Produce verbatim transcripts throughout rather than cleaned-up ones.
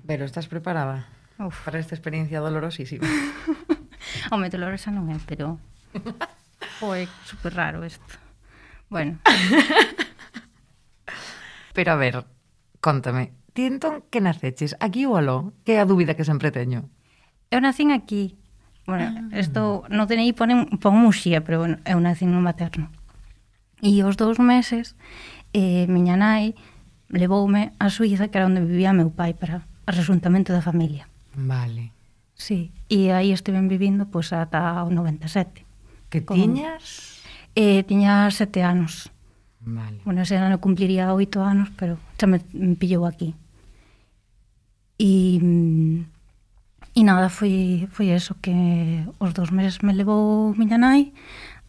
Pero estás preparada Uf. para esta experiencia dolorosísima? Home, dolorosa non é, pero... Foi super raro isto. Bueno. Pero a ver, cóntame, ti entón que naceches aquí ou aló? Que é a dúbida que sempre teño. Eu nacín aquí. Bueno, isto no D N I pon, pon Muxía, pero bueno, eu nacín no materno. E os dous meses, eh, miña nai levoume a Suíza, que era onde vivía meu pai, para o resuntamento da familia. Vale. Sí, e aí estiven vivindo pois, ata o noventa e sete. Que Con... tiñas? Eh, tiña sete anos. Vale. Bueno, ese ano cumpliría oito anos, pero xa me, me pillou aquí. E, e nada, foi, foi eso, que os dous meses me levou miña nai,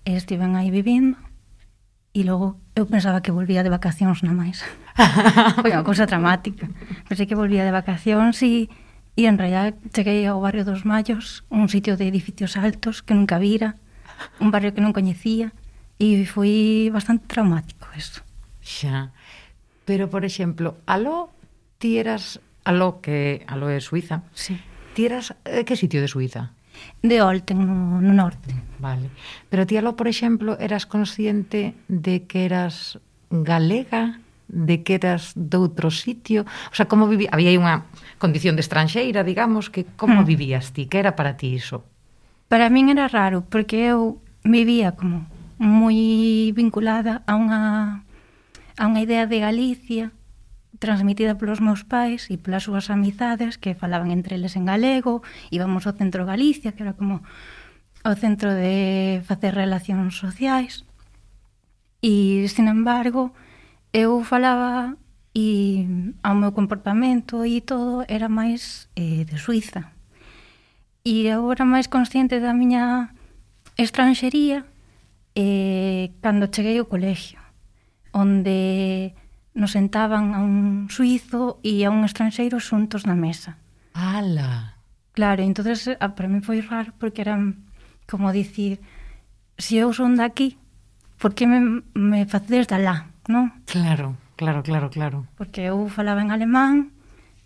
e estiven aí vivindo, e logo eu pensaba que volvía de vacacións na máis. Foi unha cousa dramática. Pensei que volvía de vacacións e, e en realidad cheguei ao barrio dos Mallos, un sitio de edificios altos que nunca vira, un barrio que non coñecía, e foi bastante traumático eso. Xa. Pero, por exemplo, aló, ti eras... Aló, que aló é Suiza. Sí. Ti eras... Eh, que sitio de Suiza? De Olten, no, no norte. Vale. Pero ti aló, por exemplo, eras consciente de que eras galega, de que eras doutro sitio? O sea, como vivía... Había aí unha condición de estranxeira, digamos, que como Hmm. vivías ti? Que era para ti iso? Para min era raro, porque eu vivía como moi vinculada a unha, a unha idea de Galicia transmitida polos meus pais e polas súas amizades que falaban entre eles en galego, íbamos ao centro de Galicia, que era como o centro de facer relacións sociais, e, sin embargo, eu falaba e ao meu comportamento e todo era máis eh, de Suiza. E eu era máis consciente da miña estranxería eh, cando cheguei ao colegio, onde nos sentaban a un suizo e a un estranxeiro xuntos na mesa. Ala! Claro, entonces para mí foi raro porque era como dicir, se eu son daqui, por que me, me facedes de alá, non? Claro, claro, claro, claro. Porque eu falaba en alemán,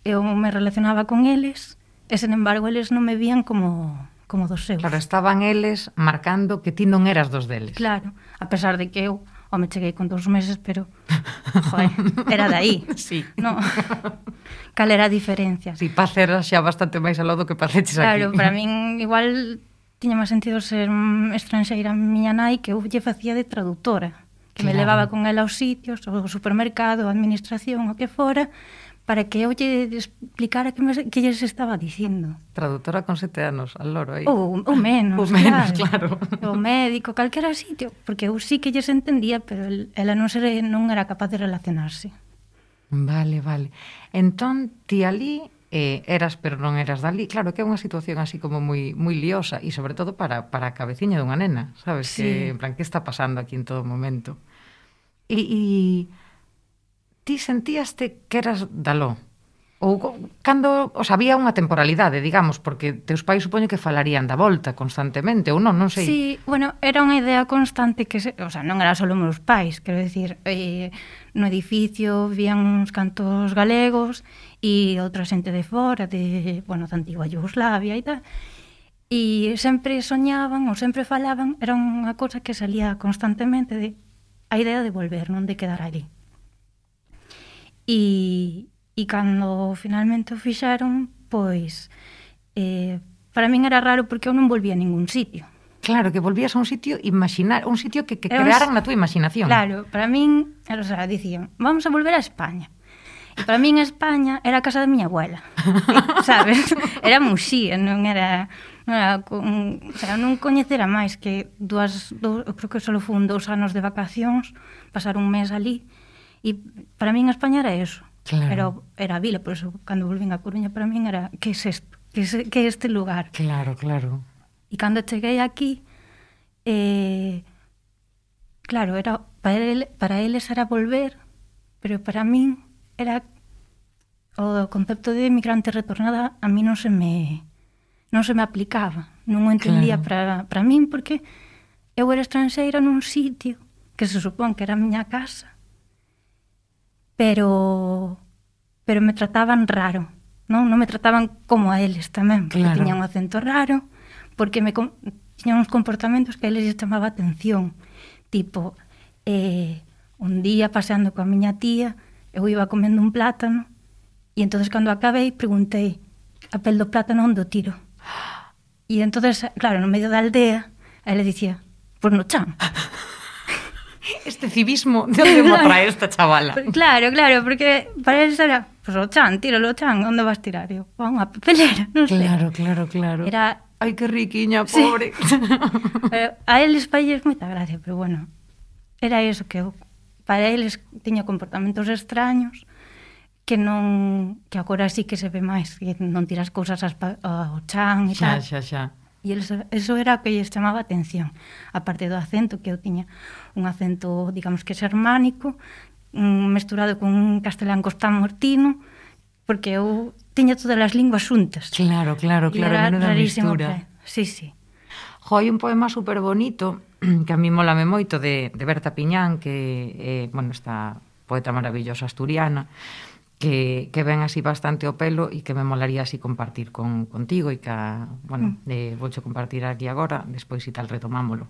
eu me relacionaba con eles, e, sen embargo, eles non me vían como, como dos seus. Claro, estaban eles marcando que ti non eras dos deles. Claro, a pesar de que eu, o me cheguei con dous meses, pero, joder, era de aí. Sí. No. Cal era a diferencia? Si, Paz era xa bastante máis aló do que paceches aquí. Claro, para min igual tiña máis sentido ser estranxeira miña nai, que eu lle facía de traductora, que claro. me levaba con ela aos sitios, ao supermercado, a administración, o que fora, para que eu lle explicara que, me, que lles estaba dicindo. Traductora con sete anos, al loro aí. Ou, ou menos, ou menos, claro. O médico, calquera sitio, porque eu sí que lles entendía, pero el, ela non, ser, non era capaz de relacionarse. Vale, vale. Entón, ti ali eh, eras, pero non eras dali. Claro que é unha situación así como moi moi liosa, e sobre todo para, para a cabeciña dunha nena, sabes? Sí. Que, en plan, que está pasando aquí en todo momento? E... e ti sentíaste que eras daló? Ou cando, o sea, había unha temporalidade, digamos, porque teus pais supoño que falarían da volta constantemente, ou non, non sei. Sí, bueno, era unha idea constante que, se, o sea, non era só meus pais, quero dicir, eh, no edificio vían uns cantos galegos e outra xente de fora, de, bueno, da antigua Yugoslavia e tal, e sempre soñaban ou sempre falaban, era unha cosa que salía constantemente de a idea de volver, non de quedar ali. E, e cando finalmente o fixaron, pois, eh, para min era raro porque eu non volvía a ningún sitio. Claro, que volvías a un sitio imaginar, un sitio que, que crearan na túa imaginación. Claro, para min, o sea, dicían, vamos a volver a España. E para min España era a casa da miña abuela, sabes? Era Muxía, non era... Non era con, o sea, non coñecera máis que dúas, dous, eu creo que só fun dous anos de vacacións, pasar un mes ali. E para min España era eso. Claro. Era, era a vila, por eso cando volvín a Coruña para min era que é isto? Que é, que é este lugar? Claro, claro. E cando cheguei aquí, eh, claro, era para, ele, para eles era volver, pero para min era o concepto de migrante retornada a mí non se me non se me aplicaba, non o entendía claro. para, para min porque eu era estranxeira nun sitio que se supón que era a miña casa, pero pero me trataban raro non? Non me trataban como a eles tamén, porque claro. tiñan un acento raro, porque me tiñan uns comportamentos que a eles chamaba atención. Tipo, eh, un día paseando coa miña tía, eu iba comendo un plátano, e entonces cando acabei preguntei a pel do plátano onde o tiro. E entonces, claro, no medio da aldea, ele dicía, pois no chan. Este civismo, de onde me trae esta chavala? Claro, claro, porque para eles era, pois o chan, tíralo o chan, onde vas tirar? Eu, a unha papelera, non sei. Claro, claro, claro. Era... Ai, que riquiña, pobre. Sí. Pero a eles para eles moita gracia, pero bueno, era eso que eu, para eles tiña comportamentos extraños que non, que agora sí que se ve máis, que non tiras cousas ao chan e xa, tal. Xa, xa, E eles, eso era o que lles chamaba atención, aparte do acento, que eu tiña un acento, digamos que xermánico, mesturado con un castelán costamortino, porque eu tiña todas as linguas xuntas. Claro, claro, claro, menuda mistura. Sí, sí. Jo, hai un poema super bonito que a mí molame moito de, de Berta Piñán, que eh, bueno, esta poeta maravillosa asturiana, que, que ven así bastante ao pelo e que me molaría así compartir con, contigo e que, bueno, eh, voucho compartir aquí agora, despois e tal retomámolo.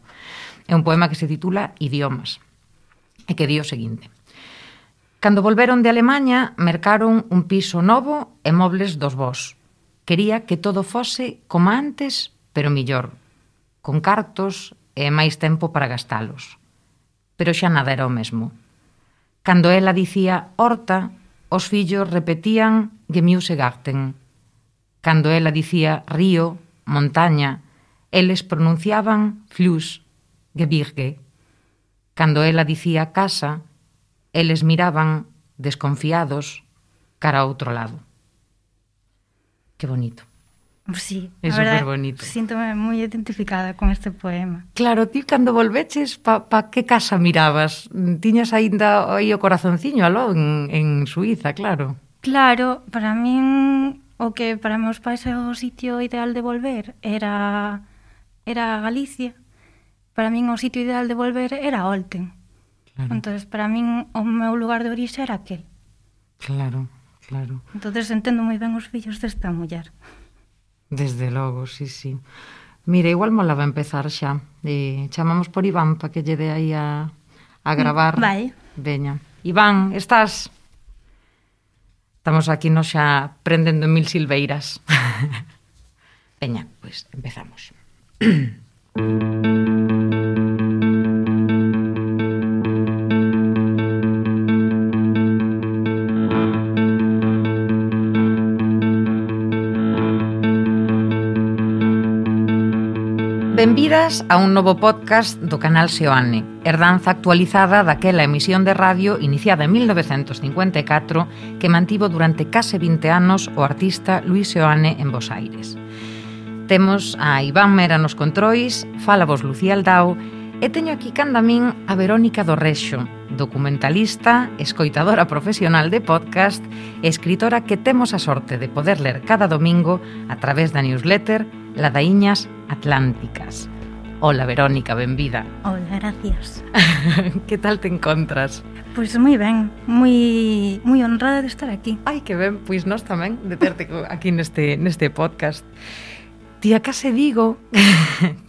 É un poema que se titula Idiomas e que di o seguinte: cando volveron de Alemaña, mercaron un piso novo e mobles dos vós. Quería que todo fose como antes, pero millor, con cartos e máis tempo para gastalos. Pero xa nada era o mesmo. Cando ela dicía horta, os fillos repetían Gemüsegarten. Cando ela dicía río, montaña, eles pronunciaban Fluss, Gebirge. Cando ela dicía casa, eles miraban, desconfiados, cara a outro lado. Que bonito. Sí, é super bonito. Síntome moi identificada con este poema. Claro, ti cando volveches, pa, pa que casa mirabas? Tiñas aínda aí o corazonciño aló en, en Suiza, claro. Claro, para min o que para meus pais é o sitio ideal de volver era era Galicia. Para min o sitio ideal de volver era Olten. Claro. Entonces, para min o meu lugar de orixe era aquel. Claro, claro. Entonces entendo moi ben os fillos desta muller. Desde logo, sí, sí. Mira, igual molaba empezar xa. E chamamos por Iván para que lle dé aí a, a gravar. Vai. Veña. Iván, estás? Estamos aquí nos xa prendendo en mil silveiras. Veña, pois pues empezamos. Benvidas a un novo podcast do canal Seoane, herdanza actualizada daquela emisión de radio iniciada en mil novecentos cincuenta e catro que mantivo durante case vinte anos o artista Luis Seoane en Bos Aires. Temos a Iván Mera nos controis, fala vos Lucía Aldao e teño aquí canda min a Verónica do Rexo, documentalista, escoitadora profesional de podcast e escritora que temos a sorte de poder ler cada domingo a través da newsletter Ladaíñas Atlánticas. Hola, Verónica, benvida. Hola, gracias. Que tal te encontras? Pois moi ben, moi moi honrada de estar aquí. Ai, que ben, pois nós tamén de terte aquí neste neste podcast. Tía, case digo,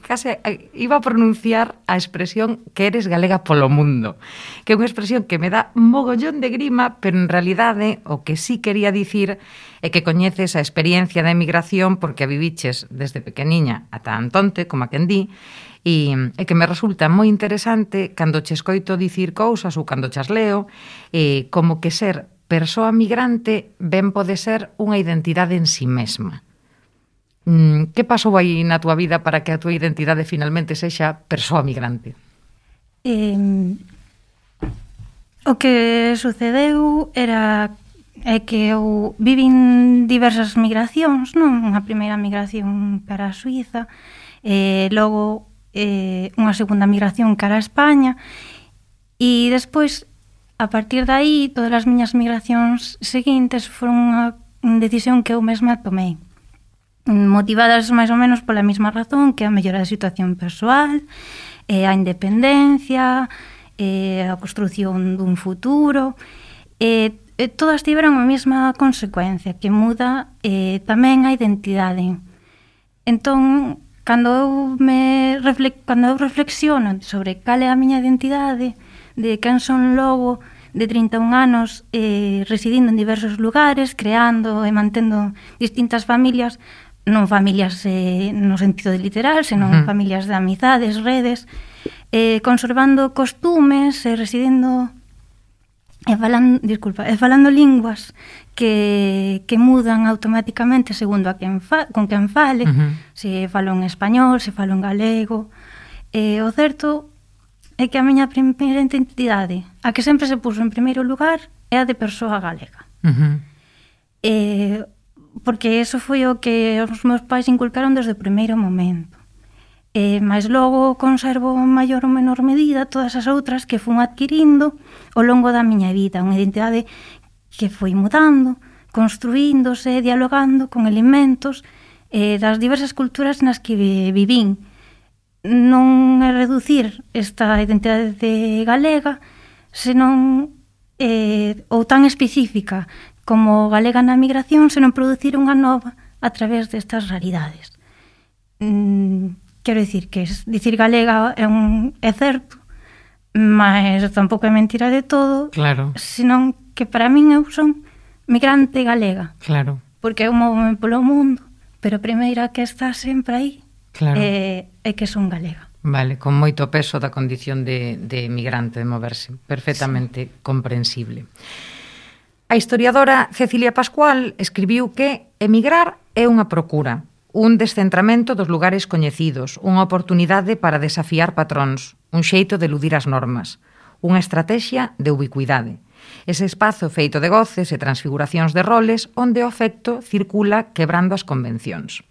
case iba a pronunciar a expresión que eres galega polo mundo, que é unha expresión que me dá mogollón de grima, pero en realidade o que sí quería dicir é que coñeces a experiencia da emigración porque a viviches desde pequeniña ata Antonte, como a quen di, e, e que me resulta moi interesante cando che escoito dicir cousas ou cando chas leo, e como que ser persoa migrante ben pode ser unha identidade en si mesma. Que pasou aí na túa vida para que a túa identidade finalmente sexa persoa migrante? Eh, o que sucedeu era é que eu vivín diversas migracións, non? Unha primeira migración cara a Suiza, e logo eh, unha segunda migración cara a España, e despois, a partir de aí, todas as miñas migracións seguintes foron unha decisión que eu mesma tomei, motivadas máis ou menos pola mesma razón, que a mellora da situación persoal, eh, a independencia, eh, a construción dun futuro. Eh, eh, todas tiveron a mesma consecuencia, que muda eh, tamén a identidade. Entón, cando eu, me refle cando eu reflexiono sobre cal é a miña identidade, de quen son logo de trinta e un anos eh, residindo en diversos lugares, creando e mantendo distintas familias, non familias eh, no sentido de literal, senón uh-huh. familias de amizades, redes, eh, conservando costumes e residindo e falando, disculpa, e falando linguas que, que mudan automáticamente segundo a quen fa, con quen fale, uh-huh. se falo en español, se falo en galego. E o certo é que a miña primeira identidade, a que sempre se puso en primeiro lugar, é a de persoa galega. Uh-huh. E porque eso foi o que os meus pais inculcaron desde o primeiro momento. E, mas logo conservo en maior ou menor medida todas as outras que fun adquirindo ao longo da miña vida, unha identidade que foi mudando, construíndose, dialogando con elementos eh, das diversas culturas nas que vivín. Non é reducir esta identidade galega, senón eh, ou tan específica como galega na migración, senón producir unha nova a través destas realidades. Mm, quero dicir que dicir galega é, un, é certo, mas tampouco é mentira de todo, claro. senón que para min eu son migrante galega. Claro. Porque eu movo-me polo mundo, pero a primeira que está sempre aí claro. é, é que son galega. Vale, con moito peso da condición de, de migrante, de moverse. Perfectamente sí. comprensible. A historiadora Cecilia Pascual escribiu que emigrar é unha procura, un descentramento dos lugares coñecidos, unha oportunidade para desafiar patróns, un xeito de eludir as normas, unha estrategia de ubicuidade. Ese espazo feito de goces e transfiguracións de roles onde o afecto circula quebrando as convencións.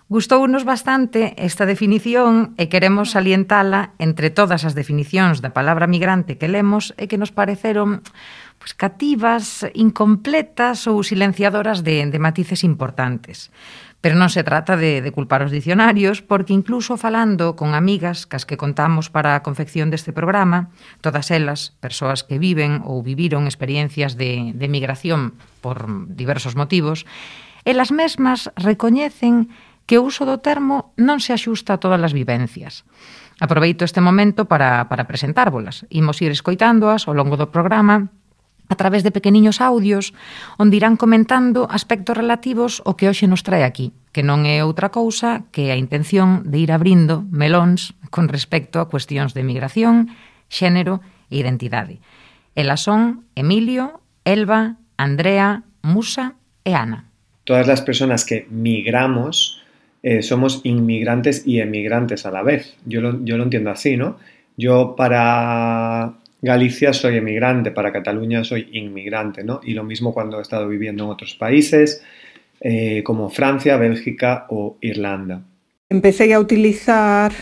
Gustounos bastante esta definición e queremos salientala entre todas as definicións da palabra migrante que lemos e que nos pareceron pues, cativas, incompletas ou silenciadoras de, de matices importantes. Pero non se trata de, de culpar os dicionarios, porque incluso falando con amigas cas que contamos para a confección deste programa, todas elas, persoas que viven ou viviron experiencias de, de migración por diversos motivos, elas mesmas recoñecen que o uso do termo non se axusta a todas as vivencias. Aproveito este momento para, para presentárvolas. Imos ir escoitándoas ao longo do programa a través de pequeniños audios onde irán comentando aspectos relativos ao que hoxe nos trae aquí, que non é outra cousa que a intención de ir abrindo melóns con respecto a cuestións de migración, xénero e identidade. Elas son Emilio, Elba, Andrea, Musa e Ana. Todas las personas que migramos Eh, somos inmigrantes y emigrantes a la vez. Yo lo, yo lo entiendo así, ¿no? Yo para Galicia soy emigrante, para Cataluña soy inmigrante, ¿no? Y lo mismo cuando he estado viviendo en otros países, eh, como Francia, Bélgica o Irlanda. Empecé a utilizar,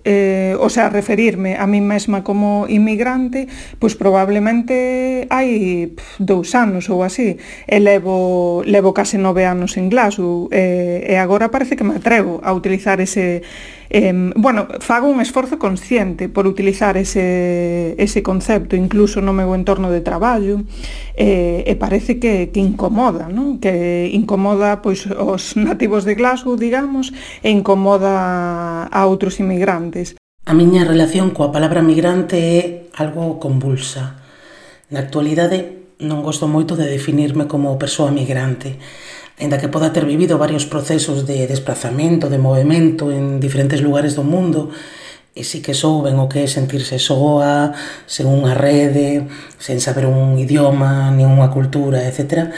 eh, o sea, a referirme a mí mesma como inmigrante, pois probablemente hai pff, dous anos ou así, e levo, levo case nove anos en Glasgow, e, e agora parece que me atrevo a utilizar ese, eh, bueno, fago un esforzo consciente por utilizar ese, ese concepto, incluso no meu entorno de traballo, e, e parece que, que incomoda, non? Que incomoda pois os nativos de Glasgow, digamos, e incomoda a outros inmigrantes. A miña relación coa palabra migrante é algo convulsa. Na actualidade non gosto moito de definirme como persoa migrante, aínda que poda ter vivido varios procesos de desplazamento, de movimento en diferentes lugares do mundo, e si que souben o que é sentirse soa, sen unha rede, sen saber un idioma, nin unha cultura, etcétera.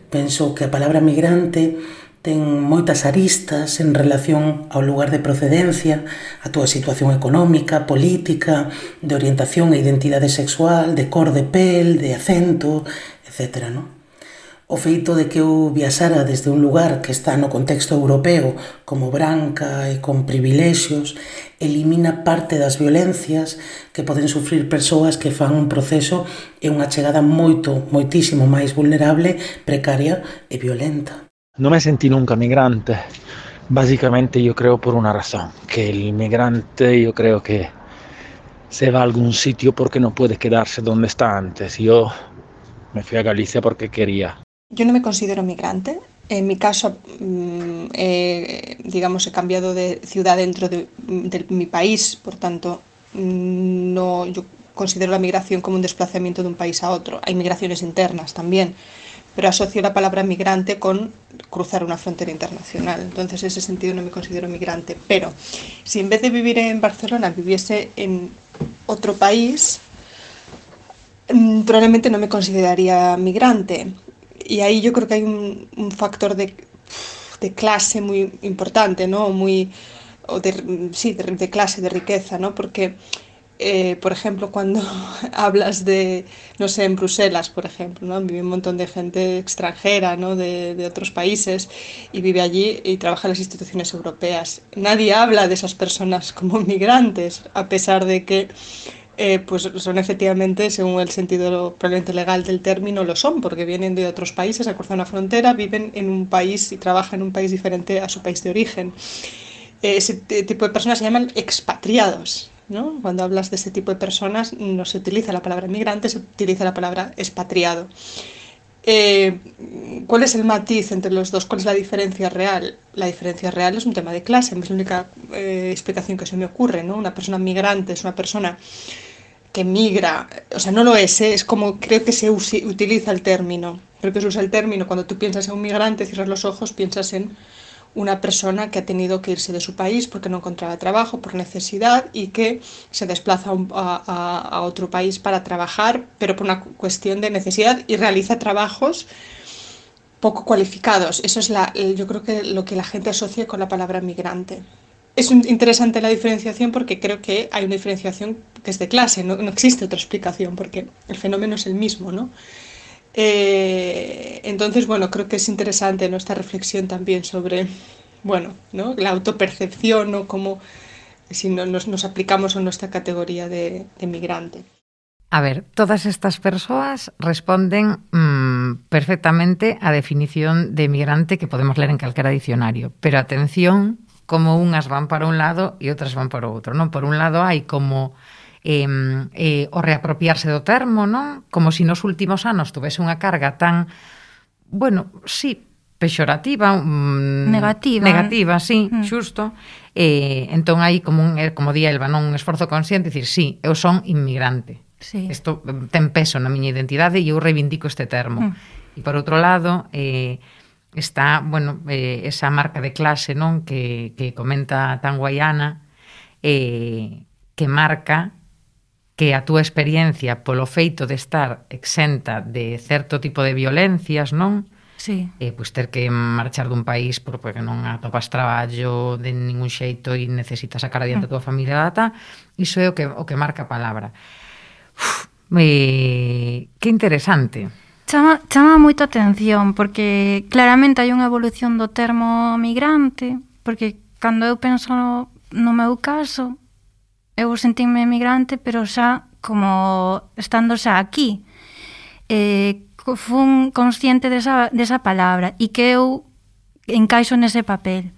Penso que a palabra migrante ten moitas aristas en relación ao lugar de procedencia, a túa situación económica, política, de orientación e identidade sexual, de cor de pel, de acento, etcétera, non? O feito de que eu viaxara desde un lugar que está no contexto europeo como branca e con privilexios elimina parte das violencias que poden sufrir persoas que fan un proceso e unha chegada moito, moitísimo máis vulnerable, precaria e violenta. No me sentí nunca migrante, básicamente yo creo por una razón, que el migrante yo creo que se va a algún sitio porque no puede quedarse donde está antes. Yo Me fui a Galicia porque quería. Yo no me considero migrante. En mi caso, eh, digamos, he cambiado de ciudad dentro de, de mi país, por tanto, no, yo considero la migración como un desplazamiento de un país a otro. Hay migraciones internas también, pero asocio la palabra migrante con cruzar una frontera internacional. Entonces, en ese sentido no me considero migrante. Pero si en vez de vivir en Barcelona viviese en otro país, probablemente no me consideraría migrante. Y ahí yo creo que hay un, un factor de, de clase muy importante, ¿no? Muy, o de, sí, de, de clase, de riqueza, ¿no? Porque, eh, por ejemplo, cuando hablas de, no sé, en Bruselas, por ejemplo, ¿no? Vive un montón de gente extranjera, ¿no? De, de otros países y vive allí y trabaja en las instituciones europeas. Nadie habla de esas personas como migrantes, a pesar de que Eh, pues son efectivamente, según el sentido probablemente legal del término, lo son, porque vienen de otros países, a cruzar una frontera, viven en un país y trabajan en un país diferente a su país de origen. Eh, ese tipo de personas se llaman expatriados, ¿no? Cuando hablas de ese tipo de personas no se utiliza la palabra migrante, se utiliza la palabra expatriado. Eh, ¿Cuál es el matiz entre los dos? ¿Cuál es la diferencia real? La diferencia real es un tema de clase, es la única eh, explicación que se me ocurre, ¿no? Una persona migrante es una persona que migra, o sea, no lo es, ¿eh? Es como creo que se usi, utiliza el término, creo que se usa el término, cuando tú piensas en un migrante, cierras los ojos, piensas en una persona que ha tenido que irse de su país porque no encontraba trabajo, por necesidad, y que se desplaza a, a, a otro país para trabajar, pero por una cuestión de necesidad, y realiza trabajos poco cualificados. Eso es la, yo creo que lo que la gente asocia con la palabra migrante. Es interesante la diferenciación porque creo que hay una diferenciación que es de clase, no, no existe otra explicación porque el fenómeno es el mismo, ¿no? Eh, entonces, bueno, creo que es interesante nuestra reflexión también sobre, bueno, ¿no? La autopercepción, ¿no? Cómo si no, nos, nos aplicamos a nuestra categoría de, de migrante. A ver, todas estas persoas responden mmm, perfectamente á definición de migrante que podemos ler en calquera dicionario, pero atención, como unhas van para un lado e outras van para o outro, non? Por un lado hai como eh, eh, o reapropiarse do termo, non? Como se si nos últimos anos tuvese unha carga tan, bueno, sí, pexorativa, mm, negativa, negativa, sí, mm. xusto. Eh, entón hai como un, como di Elba, non? Un esforzo consciente, dicir, sí, eu son inmigrante. Sí. Isto ten peso na miña identidade e eu reivindico este termo. Mm. E por outro lado, eh, está, bueno, eh, esa marca de clase, non, que, que comenta tan Guaiana, eh, que marca que a túa experiencia polo feito de estar exenta de certo tipo de violencias, non? Sí. Eh, pois ter que marchar dun país porque non atopas traballo de ningún xeito e necesitas sacar adiante a tua familia, data, iso é o que, o que marca a palabra. Uf, eh, que interesante. Chama, chama moito a atención porque claramente hai unha evolución do termo migrante, porque cando eu penso no, no meu caso eu sentime migrante pero xa como estando xa aquí, eh, fun consciente desa, desa palabra e que eu encaixo nese papel.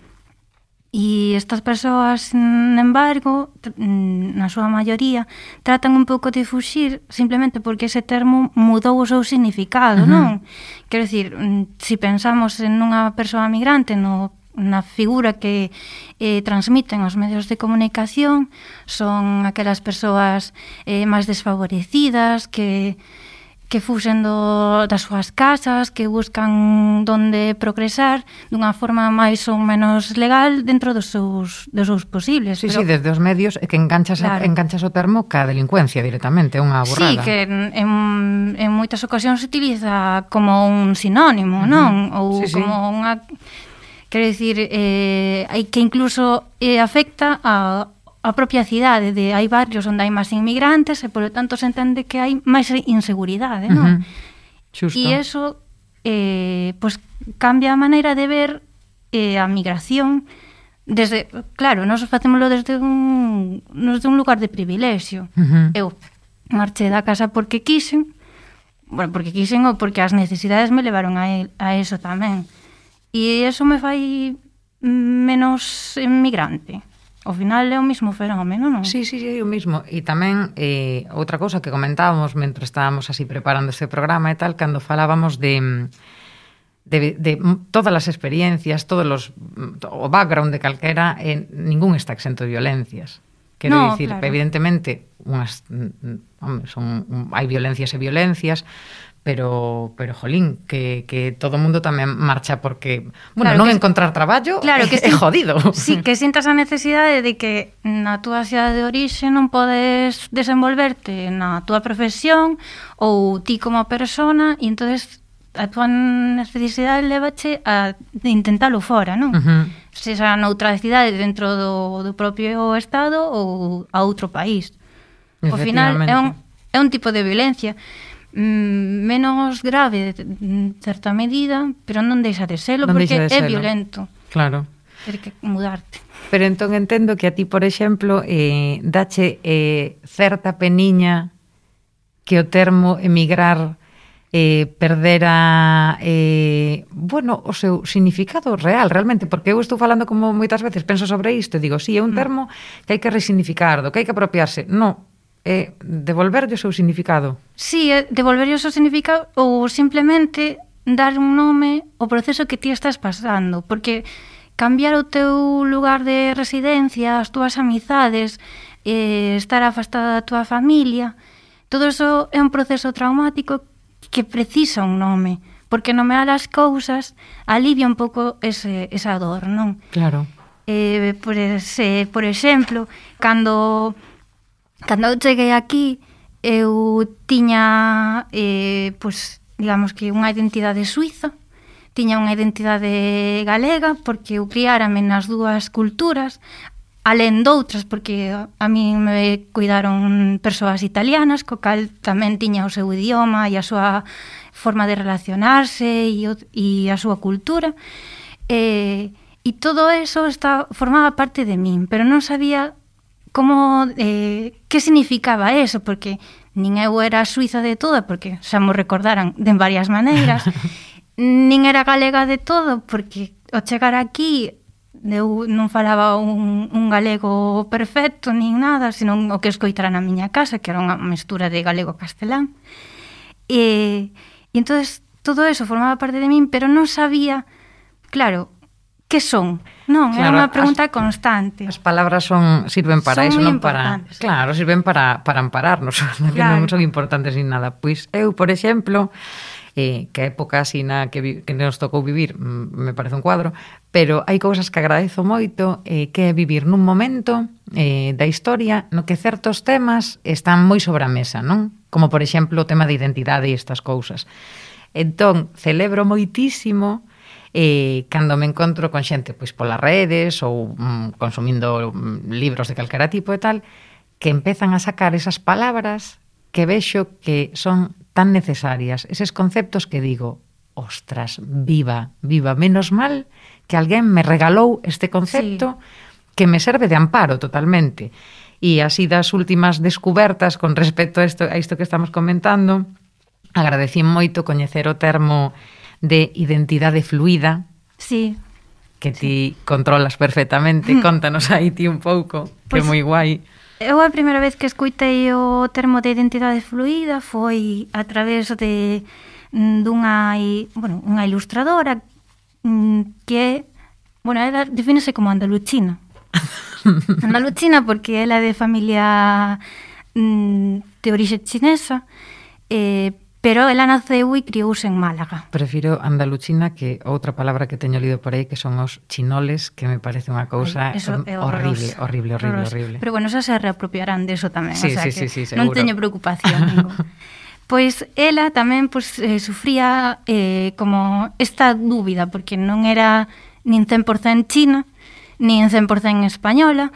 E estas persoas, sin embargo, na súa maioría, tratan un pouco de fuxir simplemente porque ese termo mudou o seu significado, uh-huh. non? Quero dicir, se pensamos en unha persoa migrante, no, na figura que eh, transmiten os medios de comunicación, son aquelas persoas eh, máis desfavorecidas, que... que fuxen do, das súas casas, que buscan donde progresar dunha forma máis ou menos legal dentro dos seus, dos seus posibles. Sí, pero... sí, desde os medios é que enganchas, claro. enganchas o termo ca delincuencia directamente, é unha burrada. Sí, que en, en, en moitas ocasións se utiliza como un sinónimo, uh-huh. non? Ou sí, como sí. unha... Quero dicir, eh, que incluso eh, afecta a a propia cidade, de hai barrios onde hai máis inmigrantes e, polo tanto, se entende que hai máis inseguridade, non? Uh-huh. Xusto. E iso eh, pues, cambia a maneira de ver eh, a migración desde, claro, nós facémoslo desde un, desde un lugar de privilexio. Uh-huh. Eu marché da casa porque quixen, bueno, porque quixen ou porque as necesidades me levaron a, el, a eso tamén. E eso me fai menos inmigrante. ao final é o mesmo fenómeno, non? Sí, sí, sí, o mismo. E tamén, eh, outra cousa que comentábamos mentre estábamos así preparando este programa e tal, cando falábamos de... De, de todas as experiencias, todos los, o background de calquera, eh, ningún está exento de violencias. Quero no, dicir, claro. evidentemente, unhas, hombre, son, hai violencias e violencias, pero, pero jolín, que, que todo o mundo tamén marcha porque, bueno, claro, non que, encontrar traballo claro, que é, é jodido. Sí, que sintas a necesidade de que na túa cidade de orixe non podes desenvolverte na túa profesión ou ti como persona, e entonces a túa necesidade levache a intentalo fora, non? Uh-huh. Sexa noutra cidade dentro do, do propio estado ou a outro país. Ao final é un, é un tipo de violencia mm, menos grave en certa medida, pero non deixa de selo non porque de é selo. violento. Claro. Ter que mudarte. Pero entón entendo que a ti, por exemplo, eh, dache eh, certa peniña que o termo emigrar eh, perdera eh, bueno, o seu significado real, realmente, porque eu estou falando como moitas veces, penso sobre isto, e digo, sí, é un termo que hai que resignificar, do que hai que apropiarse. No, é devolverlle o seu significado. Sí, é devolverlle o seu significado ou simplemente dar un nome ao proceso que ti estás pasando, porque cambiar o teu lugar de residencia, as túas amizades, eh, estar afastada da túa familia, todo eso é un proceso traumático que precisa un nome, porque nomear as cousas alivia un pouco ese, esa dor, non? Claro. Eh, por, ese, por exemplo, cando, cando eu cheguei aquí, eu tiña, eh, pues, digamos que unha identidade suiza, tiña unha identidade galega, porque eu criárame nas dúas culturas, alén doutras, porque a mí me cuidaron persoas italianas, co cal tamén tiña o seu idioma e a súa forma de relacionarse e, o, e a súa cultura. E, e todo eso está, formaba parte de min, pero non sabía como, eh, que significaba eso, porque nin eu era suiza de toda, porque xa mo recordaran de varias maneiras, nin era galega de todo, porque ao chegar aquí eu non falaba un, un galego perfecto nin nada, senón o que escoitara na miña casa, que era unha mestura de galego-castelán. E, e entonces todo eso formaba parte de min, pero non sabía, claro, que son? Non, claro, era unha pregunta as, constante. As palabras son sirven para son eso, non para... Claro, sirven para, para ampararnos, claro. Que non son importantes nin nada. Pois eu, por exemplo, eh, que a época así na que, vi, que nos tocou vivir me parece un cuadro, pero hai cousas que agradezo moito, eh, que é vivir nun momento eh, da historia no que certos temas están moi sobre a mesa, non? Como, por exemplo, o tema de identidade e estas cousas. Entón, celebro moitísimo eh, cando me encontro con xente pois polas redes ou mm, consumindo mm, libros de calquera tipo e tal, que empezan a sacar esas palabras que vexo que son tan necesarias, eses conceptos que digo, ostras, viva, viva, menos mal que alguén me regalou este concepto sí. que me serve de amparo totalmente. E así das últimas descubertas con respecto a isto, a isto que estamos comentando, agradecí moito coñecer o termo de identidade fluida, sí. que ti sí. controlas perfectamente. Contanos aí ti un pouco, pues, que é moi guai. Eu a primeira vez que escuitei o termo de identidade fluida foi a través de dunha, bueno, unha ilustradora que, bueno, ela defínese como andaluchina. Andaluchina porque ela é de familia de orixe chinesa, eh, pero ela naceu e criouse en Málaga. Prefiro andaluchina que outra palabra que teño lido por aí, que son os chinoles, que me parece unha cousa horrible, horrible, horrible, horrible. Pero bueno, xa se reapropiarán deso tamén, sí, o sea sí, que sí, sí, non teño preocupación ninguna. Pois ela tamén pues, eh, sufría eh, como esta dúbida, porque non era nin cen por cento china, nin cen por cento española,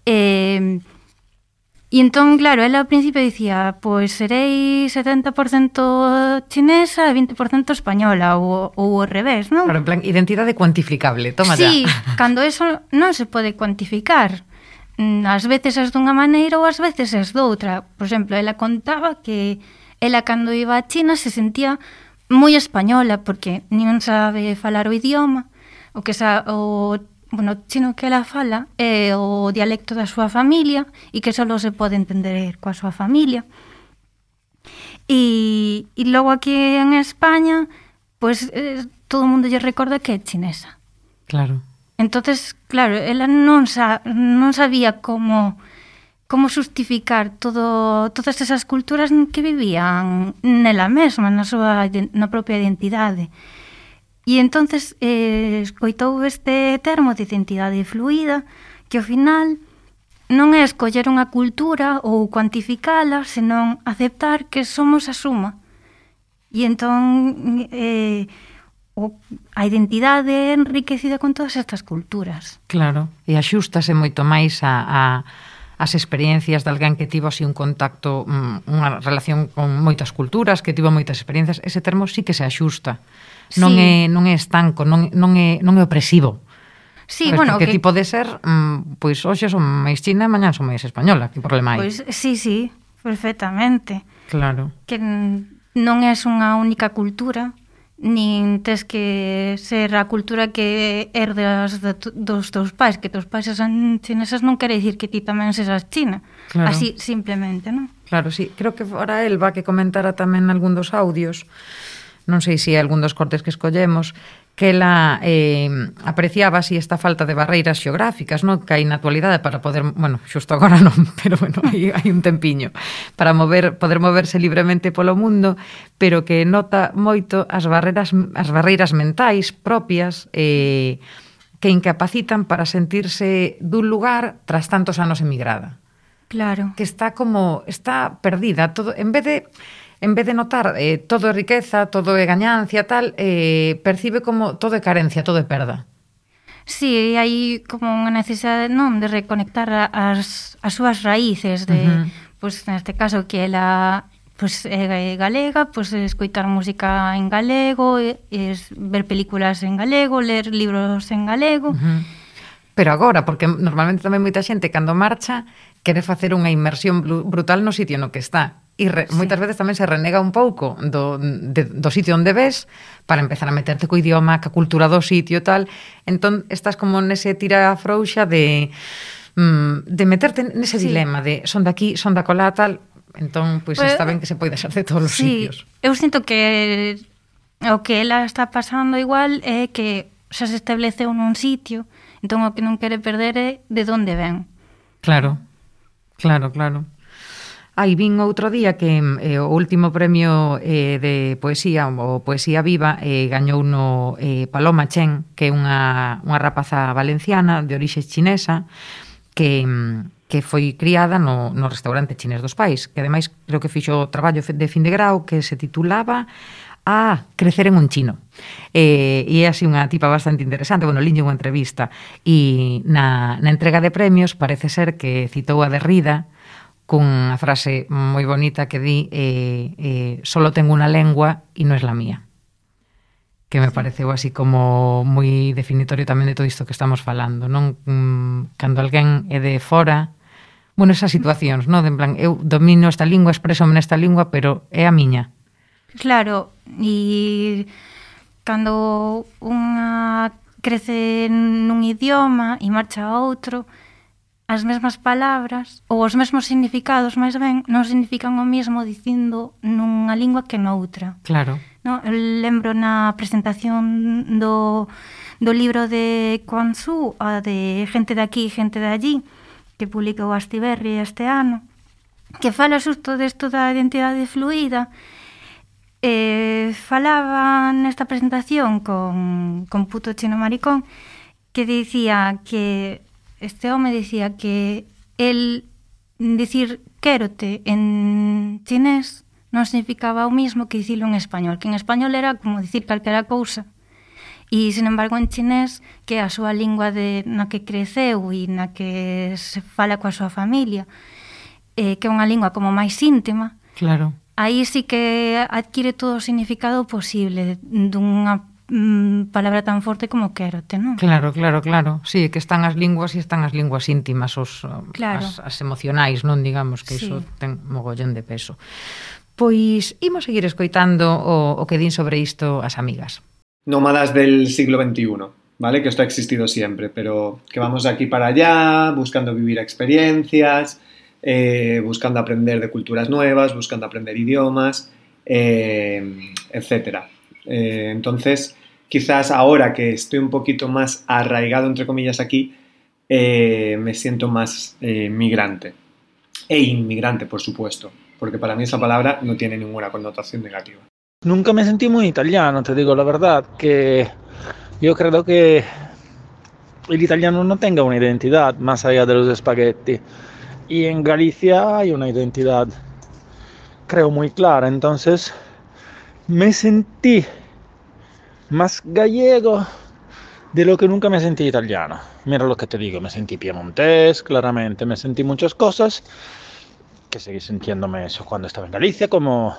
eh, e entón, claro, ela ao principio dicía, pois serei setenta por cento chinesa e vinte por cento española, ou, ou ao revés, non? Claro, en plan, identidade cuantificable, toma sí, ya. Sí, cando eso non se pode cuantificar. Ás veces es dunha maneira ou ás veces es doutra. Por exemplo, ela contaba que ela cando iba a China se sentía moi española, porque non sabe falar o idioma, o que sa, o bueno, o chino que ela fala é o dialecto da súa familia e que só se pode entender coa súa familia. E, e logo aquí en España, pues eh, todo o mundo lle recorda que é chinesa. Claro. Entonces, claro, ela non, sa, non sabía como como justificar todo, todas esas culturas que vivían nela mesma, na súa na propia identidade. E entonces eh, escoitou este termo de identidade fluida, que ao final non é escoller unha cultura ou cuantificala, senón aceptar que somos a suma. E entón eh, o, a identidade é enriquecida con todas estas culturas. Claro, e axústase moito máis a, a, as experiencias de alguén que tivo así un contacto, unha relación con moitas culturas, que tivo moitas experiencias. Ese termo sí que se axusta. Non, sí. é, non é estanco, non, non, é, non é opresivo. Sí, Sabes, bueno, que, que tipo de ser, mm, pois hoxe son máis china e mañán son máis española, que problema hai? Pois sí, sí, perfectamente. Claro. Que non é unha única cultura, nin tes que ser a cultura que herdas de, dos teus pais, que teus pais son chineses non quere dicir que ti tamén sesas china. Claro. Así, simplemente, non? Claro, sí. Creo que fora Elba que comentara tamén algún dos audios, non sei se é algún dos cortes que escollemos, que ela eh, apreciaba así esta falta de barreiras xeográficas, non? Que hai na actualidade para poder, bueno, xusto agora non, pero bueno, hai, hai un tempiño para mover, poder moverse libremente polo mundo, pero que nota moito as barreiras, as barreiras mentais propias eh, que incapacitan para sentirse dun lugar tras tantos anos emigrada. Claro. Que está como, está perdida, todo, en vez de en vez de notar eh, todo é riqueza, todo é gañancia, tal, eh, percibe como todo é carencia, todo é perda. Sí, hai como unha necesidade, non, de reconectar as, as súas raíces, de, uh-huh. pues, neste caso, que ela pues, é galega, pues, escoitar música en galego, es, ver películas en galego, ler libros en galego. Uh-huh. Pero agora, porque normalmente tamén moita xente, cando marcha, quere facer unha inmersión brutal no sitio no que está. E re, sí. moitas veces tamén se renega un pouco do, de, do sitio onde ves para empezar a meterte co idioma, ca cultura do sitio e tal. Entón, estás como nese tira frouxa de, mm, de meterte nese sí. dilema de son daqui, son da colá, tal. Entón, pois pues, está ben que se poida ser de todos os sí. sitios. Eu sinto que o que ela está pasando igual é que xa se estableceu nun sitio, entón o que non quere perder é de onde ven. Claro, claro, claro. Aí vin outro día que eh, o último premio eh, de poesía, o Poesía Viva, eh, gañou no eh, Paloma Chen, que é unha, unha rapaza valenciana de orixe chinesa, que, que foi criada no, no restaurante chinés dos pais, que ademais creo que fixo o traballo de fin de grau que se titulaba a crecer en un chino. Eh, e é así unha tipa bastante interesante, bueno, linlle unha entrevista, e na, na entrega de premios parece ser que citou a Derrida, cunha frase moi bonita que di eh, eh, solo tengo unha lengua e non é la mía, que me pareceu así como moi definitorio tamén de todo isto que estamos falando, non? Mm, cando alguén é de fora, bueno, esas situacións, non? De en plan, eu domino esta lingua, expresome nesta lingua, pero é a miña. Claro, e cando unha crece nun idioma e marcha a outro, as mesmas palabras ou os mesmos significados, máis ben, non significan o mesmo dicindo nunha lingua que noutra. Claro. No, eu lembro na presentación do, do libro de Quan Tzu, a de Gente de aquí, gente de allí, que publicou Astiberri este ano, que fala xusto desto da identidade fluida. Eh, falaba nesta presentación con, con Puto Chino Maricón, que dicía que este home dicía que el dicir quérote en chinés non significaba o mismo que dicilo en español, que en español era como dicir calquera cousa, e, sin embargo, en chinés, que é a súa lingua de, na que creceu e na que se fala coa súa familia, eh, que é unha lingua como máis íntima, claro. Aí sí que adquire todo o significado posible dunha palabra tan forte como quérote, non? Claro, claro, claro. Sí, que están as linguas e están as linguas íntimas, os, claro. as, as emocionais, non? Digamos que iso sí. ten mogollón de peso. Pois imos seguir escoitando o, o que din sobre isto as amigas. Nómadas del siglo veintiuno. ¿vale? Que esto ha existido siempre, pero que vamos de aquí para allá, buscando vivir experiencias, eh, buscando aprender de culturas nuevas, buscando aprender idiomas, eh, etcétera. Eh, entonces, quizás ahora que estoy un poquito más arraigado, entre comillas, aquí, eh, me siento más eh, migrante. E inmigrante, por supuesto, porque para mí esa palabra no tiene ninguna connotación negativa. Nunca me sentí muy italiano, te digo la verdad, que yo creo que el italiano no tenga una identidad más allá de los espagueti. Y en Galicia hay una identidad, creo, muy clara. Entonces me sentí más gallego de lo que nunca me sentí italiano. Mira lo que te digo, me sentí piemontés, claramente. Me sentí muchas cosas, que seguí sintiéndome eso cuando estaba en Galicia, como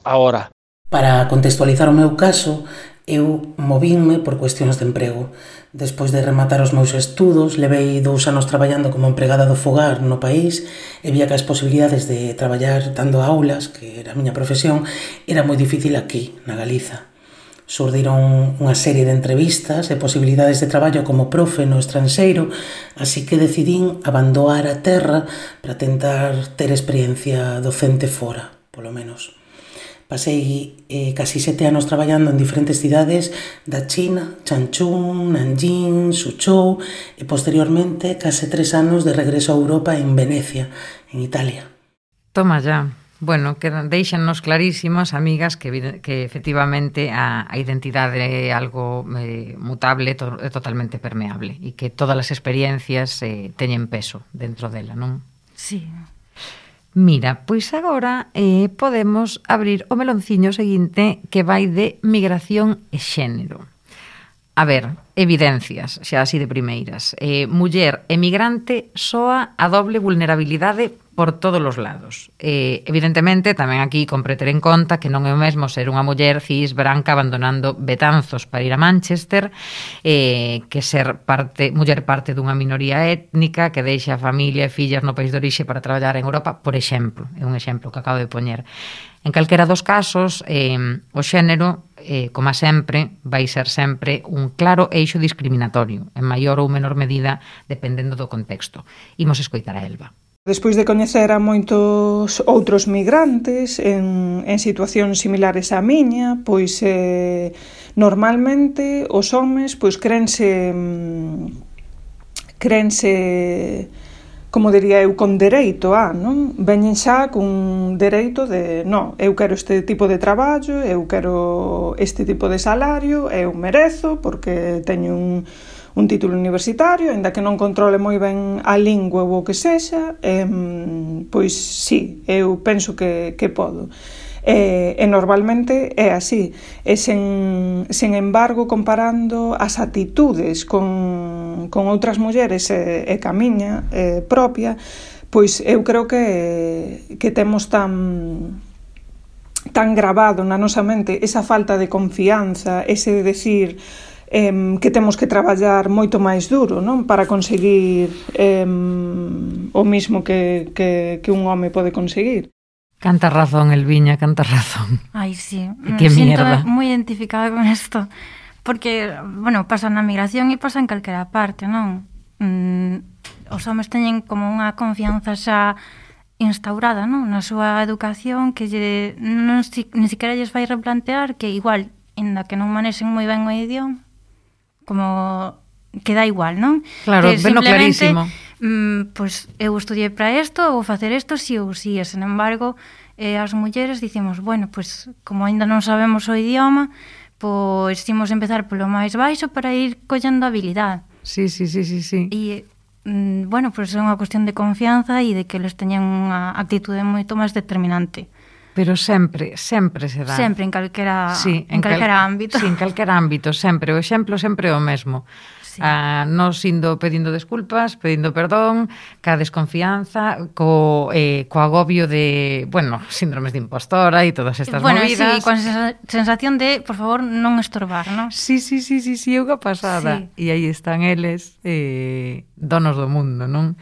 ahora. Para contextualizar o meu caso, eu movínme por cuestións de emprego. Despois de rematar os meus estudos, levei dous anos traballando como empregada do fogar no país e vía que as posibilidades de traballar dando aulas, que era a miña profesión, era moi difícil aquí, na Galiza. Surdiron unha serie de entrevistas e posibilidades de traballo como profe no estranxeiro, así que decidín abandonar a terra para tentar ter experiencia docente fora, polo menos. Pasei eh, casi sete anos traballando en diferentes cidades da China, Changchun, Nanjing, Suzhou e posteriormente case tres anos de regreso a Europa en Venecia, en Italia. Toma ya. Bueno, que deixanos clarísimas, amigas, que, que efectivamente a, a identidade é algo eh, mutable, to, é totalmente permeable e que todas as experiencias eh, teñen peso dentro dela, non? Sí. Mira, pois agora eh, podemos abrir o melonciño seguinte que vai de migración e xénero. A ver, evidencias, xa así de primeiras. Eh, muller emigrante soa a doble vulnerabilidade por todos os lados. Eh, evidentemente, tamén aquí compre ter en conta que non é o mesmo ser unha muller cis branca abandonando Betanzos para ir a Manchester eh, que ser parte muller parte dunha minoría étnica que deixa a familia e fillas no país de orixe para traballar en Europa, por exemplo. É un exemplo que acabo de poñer. En calquera dos casos, eh, o xénero, eh, como sempre, vai ser sempre un claro eixo discriminatorio, en maior ou menor medida, dependendo do contexto. Imos escoitar a Elba. Despois de coñecer a moitos outros migrantes en, en situacións similares á miña, pois eh, normalmente os homes pois crense crense como diría eu, con dereito a, non? Veñen xa cun dereito de, non, eu quero este tipo de traballo, eu quero este tipo de salario, eu merezo porque teño un un título universitario, aínda que non controle moi ben a lingua ou o que sexa, eh, pois sí, eu penso que, que podo. E, e normalmente é así. E sen, sen embargo, comparando as actitudes con, con outras mulleres e, e ca miña e propia, pois eu creo que, que temos tan tan grabado na nosa mente esa falta de confianza, ese de decir Eh, que temos que traballar moito máis duro, non? Para conseguir eh, o mismo que, que, que un home pode conseguir. Canta razón, Elviña, canta razón. Ai, sí, me que siento mierda. moi identificada con isto. Porque, bueno, pasa na migración e pasa en calquera parte, non? Mm, os homes teñen como unha confianza xa instaurada, non? Na súa educación que lle, non, si, ni siquiera lles vai replantear que igual, inda que non manexen moi ben o idioma, como que dá igual, non? Claro, que veno clarísimo. Mm, pois pues, eu estudiei para isto, vou facer isto si ou si, e sen embargo, eh, as mulleres dicimos, bueno, pois pues, como aínda non sabemos o idioma, pois pues, imos empezar polo máis baixo para ir collendo habilidade. Sí, sí, sí, sí, sí. E, mm, bueno, pois pues, é unha cuestión de confianza e de que eles teñan unha actitude moito máis determinante. Pero sempre, sempre se dá. Sempre, en calquera, sí, en, en calquera cal... ámbito. Sí, en calquera ámbito, sempre. O exemplo sempre é o mesmo. Sí. Ah, nos indo pedindo desculpas, pedindo perdón, ca desconfianza, co, eh, co agobio de, bueno, síndromes de impostora e todas estas bueno, movidas. Sí, con sensación de, por favor, non estorbar, non? Sí, sí, sí, sí, sí, é unha pasada. E sí. aí están eles, eh, donos do mundo, non?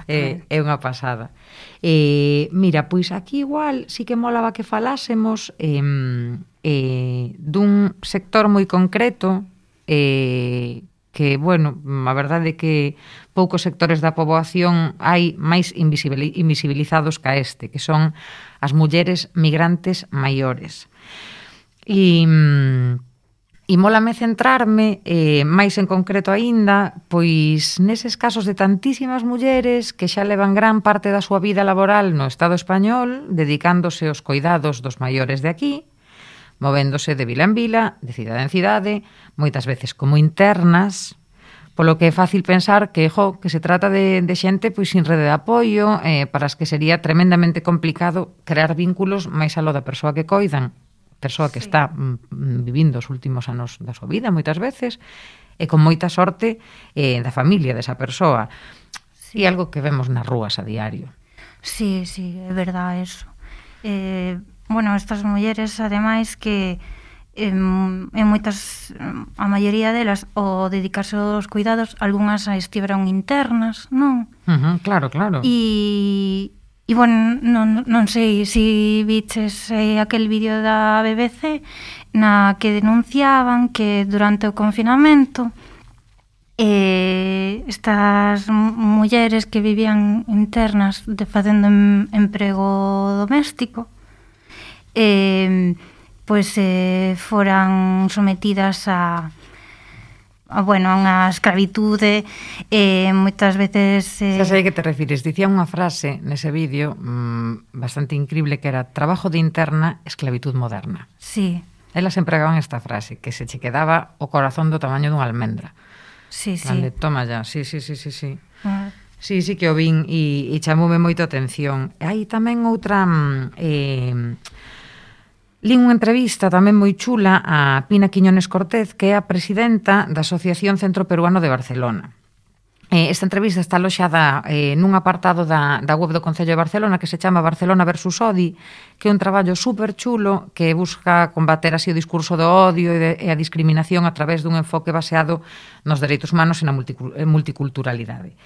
Eh, é unha pasada. Eh, mira, pois aquí igual sí que molaba que falásemos eh, eh, dun sector moi concreto eh, que, bueno, a verdade é que poucos sectores da poboación hai máis invisibilizados ca este, que son as mulleres migrantes maiores. E... E mólame centrarme, eh, máis en concreto aínda, pois neses casos de tantísimas mulleres que xa levan gran parte da súa vida laboral no Estado español, dedicándose aos coidados dos maiores de aquí, movéndose de vila en vila, de cidade en cidade, moitas veces como internas, polo que é fácil pensar que, jo, que se trata de, de xente pois sin rede de apoio, eh, para as que sería tremendamente complicado crear vínculos máis aló da persoa que coidan, persoa que sí. está mm, vivindo os últimos anos da súa vida moitas veces e con moita sorte eh, da familia desa persoa. Sí. E algo que vemos nas rúas a diario. Sí, sí, é verdade eso. Eh, bueno, estas mulleres ademais que en, en moitas, a maioría delas o dedicarse aos cuidados, algunhas estiveron internas, non? Uh-huh, claro, claro. E E, bueno, non, non sei se si viches eh, aquel vídeo da B B C na que denunciaban que durante o confinamento eh, estas mulleres que vivían internas de facendo em, emprego doméstico eh, pois eh, foran sometidas a a, bueno, a unha escravitude eh, moitas veces eh... Xa sei que te refires, dicía unha frase nese vídeo mmm, bastante increíble que era trabajo de interna, esclavitud moderna. Sí. Elas empregaban esta frase, que se che quedaba o corazón do tamaño dunha almendra. Sí, sí. Vale, toma ya, sí, sí, sí, sí, sí. Uh. Sí, sí que o vin e, e chamoume moito a atención. E hai tamén outra... Eh, Lin unha entrevista tamén moi chula a Pina Quiñones Cortez, que é a presidenta da Asociación Centro Peruano de Barcelona. Eh, esta entrevista está aloxada eh, nun apartado da, da web do Concello de Barcelona que se chama Barcelona versus Odi, que é un traballo super chulo que busca combater así o discurso do odio e, de, e a discriminación a través dun enfoque baseado nos dereitos humanos e na multiculturalidade.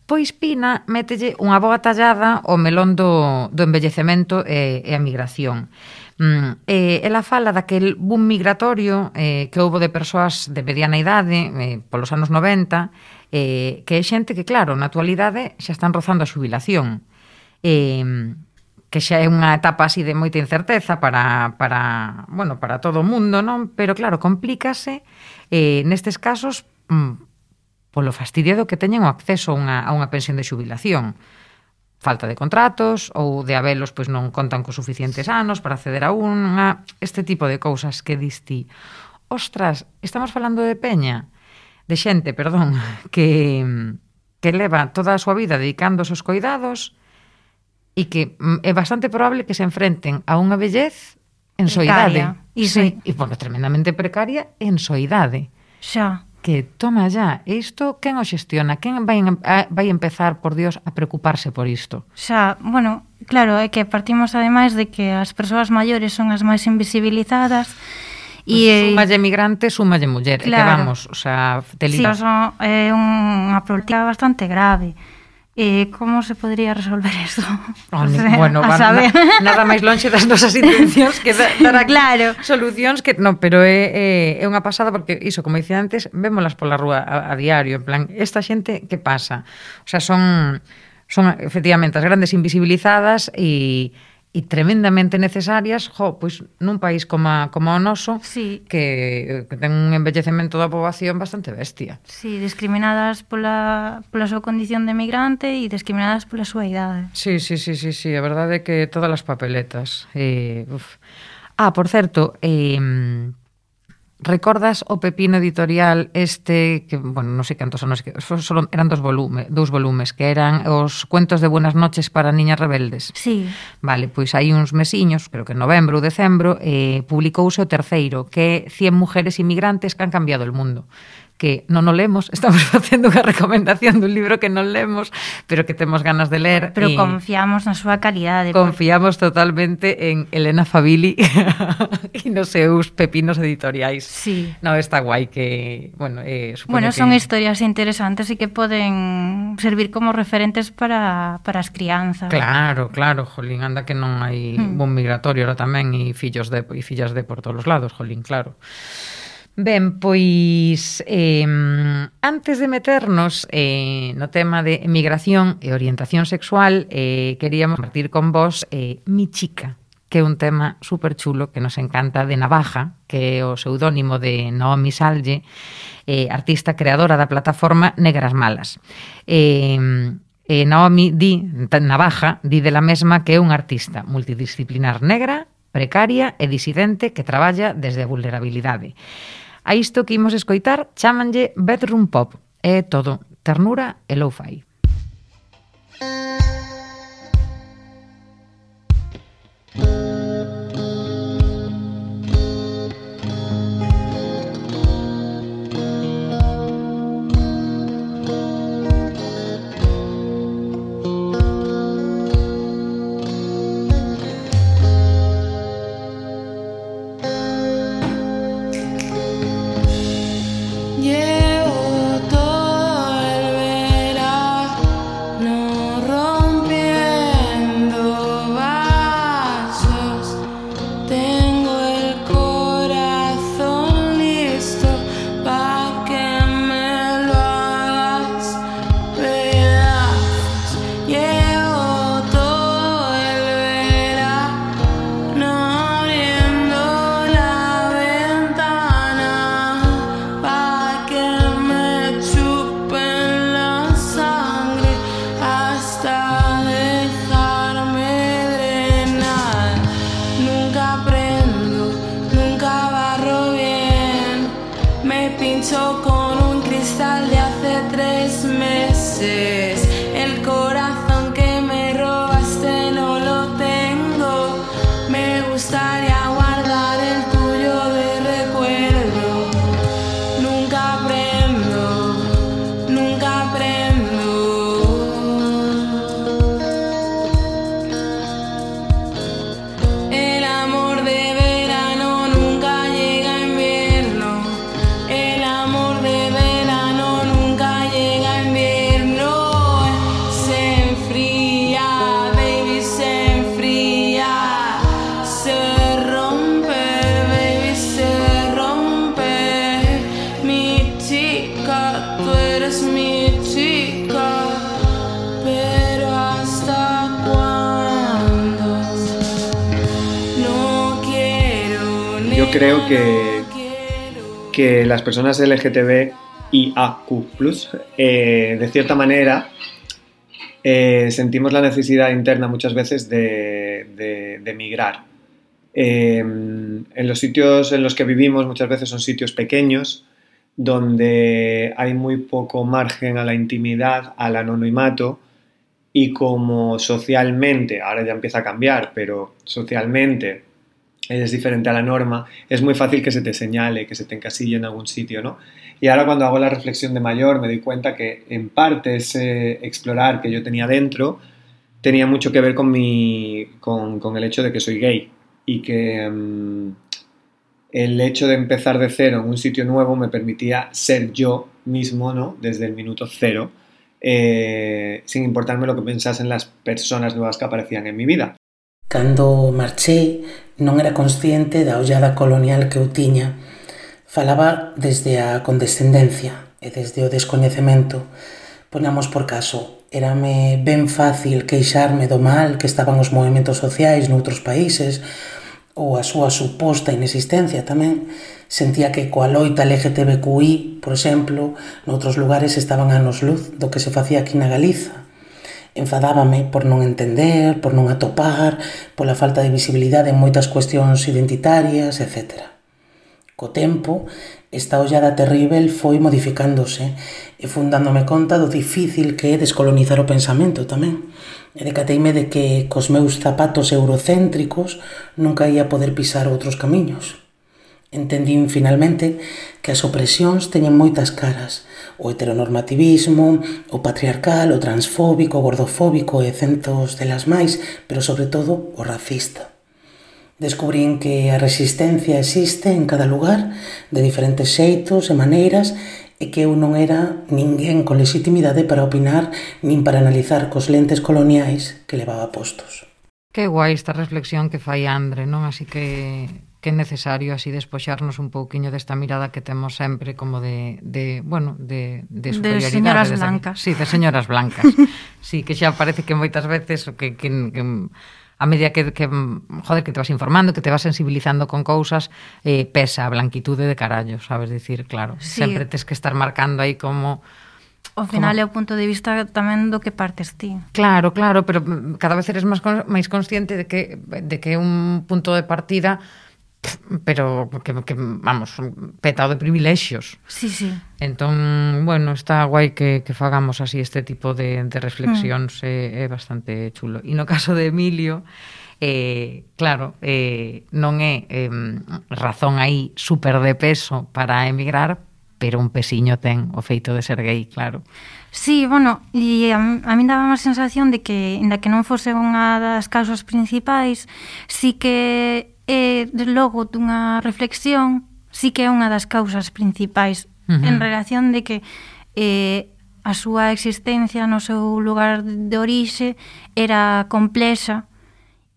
Pois Pina mételle unha boa tallada ao melón do, do envellecemento e, e a migración. Mm, eh, ela fala daquel boom migratorio eh, que houbo de persoas de mediana idade eh, polos anos noventa, eh, que é xente que, claro, na actualidade xa están rozando a xubilación, eh, que xa é unha etapa así de moita incerteza para, para, bueno, para todo o mundo, non? Pero claro, complícase eh, nestes casos mm, polo fastidio do que teñen o acceso a unha, a unha pensión de xubilación. Falta de contratos ou de habelos pois non contan cos suficientes anos para acceder a unha, este tipo de cousas que diste. Ostras, estamos falando de peña, de xente, perdón, que, que leva toda a súa vida dedicándose aos coidados e que é bastante probable que se enfrenten a unha vellez en soidade. Sí, e bueno, tremendamente precaria en soidade. Xa. Que toma ya, isto quen o xestiona? Quen vai, a, vai empezar, por Dios, a preocuparse por isto? Xa, bueno, claro, é que partimos ademais de que as persoas maiores son as máis invisibilizadas e pues, sumalle migrante, sumalle muller, claro. Que vamos, o sea, te sí, son, é unha problemática bastante grave. E como se podría resolver isto? Oh, o sea, bueno, van, na, nada máis lonxe das nosas intencións que dar aquí claro. Solucións que non, pero é, é, é unha pasada porque iso, como dicía antes, vémolas pola rúa a, a diario, en plan, esta xente que pasa? O sea, son son efectivamente as grandes invisibilizadas e e tremendamente necesarias, jo, pois nun país como, a, como o noso, sí. que, que ten un envellecemento da poboación bastante bestia. Sí, discriminadas pola, pola súa condición de migrante e discriminadas pola súa idade. Sí, sí, sí, sí, sí, a verdade é que todas as papeletas. Eh, uf. Ah, por certo, eh, recordas o pepino editorial este, que, bueno, non sei cantos anos, que solo eran dos volumes, dous volumes, que eran os cuentos de buenas noches para niñas rebeldes? Sí. Vale, pois hai uns mesiños, creo que en novembro ou decembro, eh, publicouse o terceiro, que é cien mujeres inmigrantes que han cambiado el mundo. Que non o lemos, estamos facendo unha recomendación dun libro que non lemos, pero que temos ganas de ler. Pero e confiamos na súa calidade. Confiamos por... totalmente en Elena Fabili e nos seus pepinos editoriais. Sí. No, está guai que, bueno, eh, bueno, que... son historias interesantes e que poden servir como referentes para, para as crianzas. Claro, claro, jolín, anda que non hai hmm. un migratorio ahora tamén e fillos de, e fillas de por todos os lados, jolín, claro. Ben, pois eh, antes de meternos eh, no tema de emigración e orientación sexual, eh, queríamos compartir con vos eh, Mi Chica, que é un tema super chulo que nos encanta, de Navaja, que é o pseudónimo de Naomi Salge, eh, artista creadora da plataforma Negras Malas. Eh, eh, Naomi di, Navaja, di de la mesma que é unha artista multidisciplinar negra, precaria e disidente que traballa desde a vulnerabilidade. A isto que imos escoitar chámanlle bedroom pop. É todo ternura e lo-fi. Llevo todo el verano rompiendo vasos. Tengo el corazón listo pa' que me lo hagas pedazos. Llevo todo el verano abriendo la ventana pa' que me chupen la sangre hasta dejarme drenar. Nunca aprendo, nunca barro bien. Me pincho con un cristal de hace tres meses. El corazón que me robaste no lo tengo. Me gustaría guardar el tuyo de recuerdo. Nunca aprendo, nunca aprendo. El amor de verano nunca llega a invierno. El amor de verano nunca llega a invierno. Se enfría, baby, se enfría. Se rompe, baby, se rompe. Mi chica, tú eres mi chica. Pero ¿hasta cuándo? No quiero, Yo creo nena, que, no quiero. que las personas L G T B I A Q plus, eh, de cierta manera, eh, sentimos la necesidad interna muchas veces de, de, de migrar. Eh, en los sitios en los que vivimos muchas veces son sitios pequeños, donde hay muy poco margen a la intimidad, al anonimato, y como socialmente, ahora ya empieza a cambiar, pero socialmente es diferente a la norma, es muy fácil que se te señale, que se te encasille en algún sitio, ¿no? Y ahora cuando hago la reflexión de mayor me doy cuenta que en parte ese explorar que yo tenía dentro tenía mucho que ver con, mi, con, con el hecho de que soy gay y que um, el hecho de empezar de cero en un sitio nuevo me permitía ser yo mismo, ¿no? Desde el minuto cero, eh, sin importarme lo que pensasen las personas nuevas que aparecían en mi vida. Cando marchei, non era consciente da ollada colonial que eu tiña. Falaba desde a condescendencia e desde o descoñecemento. Ponamos por caso, érame ben fácil queixarme do mal que estaban os movimentos sociais noutros países ou a súa suposta inexistencia tamén. Sentía que coa loita L G T B Q I, por exemplo, noutros lugares estaban anos luz do que se facía aquí na Galiza. Enfadábame por non entender, por non atopar, pola falta de visibilidade en moitas cuestións identitarias, etcétera. Co tempo, esta ollada terrível foi modificándose e fun dándome conta do difícil que é descolonizar o pensamento tamén. E decateime de que cos meus zapatos eurocéntricos nunca ia poder pisar outros camiños. Entendín finalmente que as opresións teñen moitas caras: o heteronormativismo, o patriarcal, o transfóbico, o gordofóbico e centos delas máis, pero sobre todo o racista. Descubrín que a resistencia existe en cada lugar, de diferentes xeitos e maneiras, e que eu non era ninguén con legitimidade para opinar nin para analizar cos lentes coloniais que levaba postos. Que guai esta reflexión que fai Andre, non? Así que que é necesario así despoxarnos un pouquiño desta mirada que temos sempre como de, de bueno, de, de superioridade. De señoras desde, blancas. Sí, de señoras blancas. Sí, que xa parece que moitas veces que, que, que a medida que, que, joder, que te vas informando, que te vas sensibilizando con cousas, eh, pesa a blanquitude de carallo, sabes dicir, claro. Sí. Sempre tes que estar marcando aí como... Ao final como... é o punto de vista tamén do que partes ti. Claro, claro, pero cada vez eres máis, máis consciente de que, de que é un punto de partida pero que, que vamos, petado de privilexios. Sí, sí. Entón, bueno, está guai que, que fagamos así este tipo de, de reflexións, mm. é, é bastante chulo. E no caso de Emilio, eh, claro, eh, non é eh, razón aí super de peso para emigrar, pero un pesiño ten o feito de ser gay, claro. Sí, bueno, e a, a mí daba a sensación de que, ainda que non fose unha das causas principais, sí que é, logo dunha reflexión, sí que é unha das causas principais, uh-huh. en relación de que eh, a súa existencia no seu lugar de orixe era complexa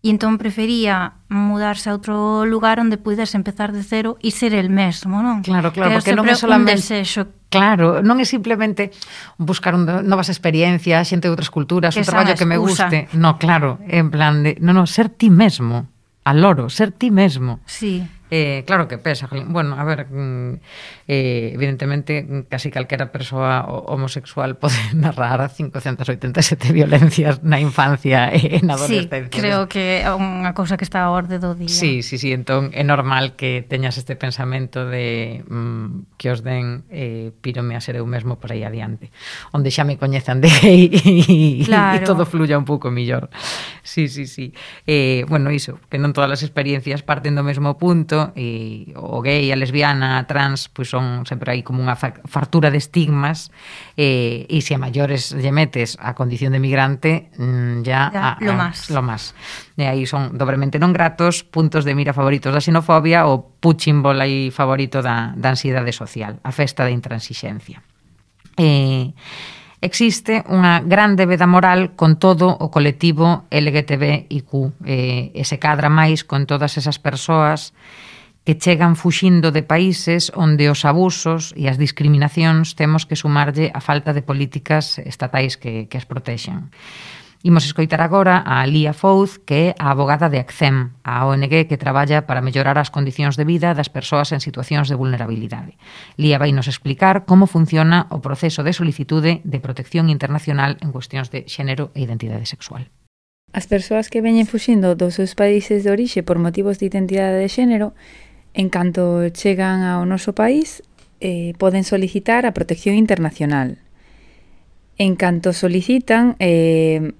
e entón prefería mudarse a outro lugar onde puides empezar de cero e ser el mesmo, non? Claro, claro, que porque non é solamente... un desexo. Claro, non é simplemente buscar un, novas experiencias, xente de outras culturas, un traballo que me guste. No, claro, en plan de... No, no, ser ti mesmo. Al loro, ser ti mesmo. Sí. Eh, claro que pesa. Bueno, a ver, eh, evidentemente, casi calquera persoa homosexual pode narrar cincocentas oitenta e sete violencias na infancia e na adolescencia. Sí, creo que é unha cousa que está a orde do día. Sí, sí, sí, entón é normal que teñas este pensamento de mm, que os den eh, pírome a ser eu mesmo por aí adiante, onde xa me coñezan de gay e, claro. e todo fluya un pouco millor. Sí, sí, sí. Eh, bueno, iso, que non todas as experiencias parten do mesmo punto, e o gay, a lesbiana, a trans, pois son sempre aí como unha fartura de estigmas, eh, e se a maiores lle metes a condición de migrante, mm, ya, ya a, lo a, más. Lo más. E aí son dobremente non gratos, puntos de mira favoritos da xenofobia ou punching ball aí favorito da, da ansiedade social, a festa da intransixencia. Eh, existe unha gran débeda moral con todo o colectivo L G T B I Q, eh, e se cadra máis con todas esas persoas que chegan fuxindo de países onde os abusos e as discriminacións temos que sumarlle a falta de políticas estatais que, que as protexen. Imos escoitar agora a Lía Fouz, que é a abogada de ACCEM, a O N G que traballa para mellorar as condicións de vida das persoas en situacións de vulnerabilidade. Lía vai nos explicar como funciona o proceso de solicitude de protección internacional en cuestións de xénero e identidade sexual. As persoas que veñen fuxindo dos seus países de orixe por motivos de identidade de xénero, en canto chegan ao noso país, eh, poden solicitar a protección internacional. En canto solicitan, eh,